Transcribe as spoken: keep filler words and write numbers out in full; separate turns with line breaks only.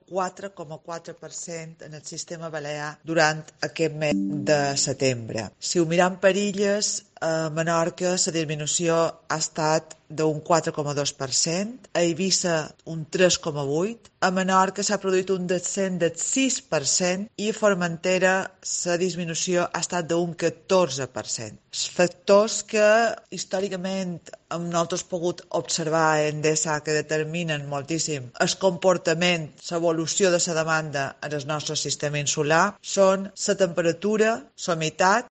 quatre coma quatre per cent en el sistema balear durant aquest mes de setembre. Si ho miram per illes, a Menorca la disminució ha estat d'un quatre coma dos per cent, a Eivissa un tres coma vuit per cent, a Menorca s'ha produït un descens del sis per cent i a Formentera la disminució ha estat d'un catorze per cent. Els factors que històricament hem nosaltres pogut observar a Endesa que determinen moltíssim el comportament, l'evolució de la demanda en el nostre sistema insular són la temperatura, la humitat